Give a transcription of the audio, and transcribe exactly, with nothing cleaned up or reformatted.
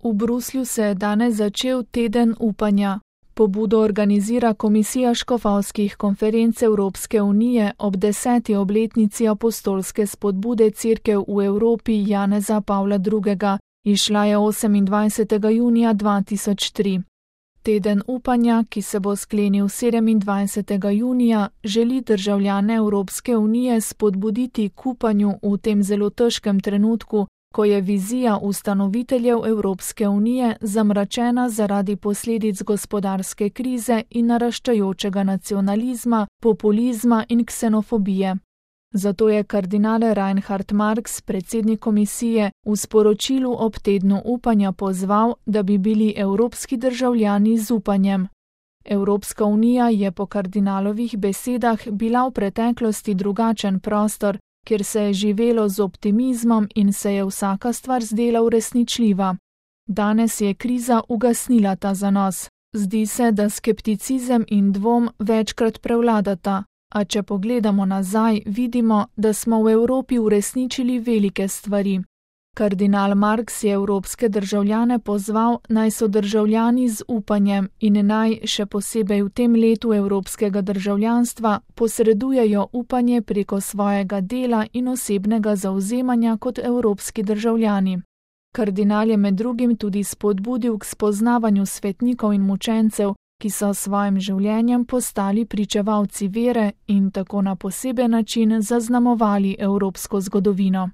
V Bruslju se je danes začel teden upanja. Pobudo organizira Komisija škofovskih konferenc Evropske unije ob deseti obletnici apostolske spodbude Cerkev v Evropi Janeza Pavla drugega. Izšla je osemindvajsetega junija dva tisoč tri. Teden upanja, ki se bo sklenil sedemindvajsetega junija, želi državljane Evropske unije spodbuditi k upanju v tem zelo težkem trenutku, ko je vizija ustanoviteljev Evropske unije zamračena zaradi posledic gospodarske krize in naraščajočega nacionalizma, populizma in ksenofobije. Zato je kardinal Reinhard Marx, predsednik komisije, v sporočilu ob tednu upanja pozval, da bi bili evropski državljani z upanjem. Evropska unija je po kardinalovih besedah bila v preteklosti drugačen prostor, kjer se je živelo z optimizmom in se je vsaka stvar zdela uresničljiva. Danes je kriza ugasnila ta zanos. Zdi se, da skepticizem in dvom večkrat prevladata, a če pogledamo nazaj, vidimo, da smo v Evropi uresničili velike stvari. Kardinal Marx je evropske državljane pozval, naj so državljani z upanjem in naj, še posebej v tem letu evropskega državljanstva, posredujejo upanje preko svojega dela in osebnega zavzemanja kot evropski državljani. Kardinal je med drugim tudi spodbudil k spoznavanju svetnikov in mučencev, ki so s svojim življenjem postali pričevalci vere in tako na poseben način zaznamovali evropsko zgodovino.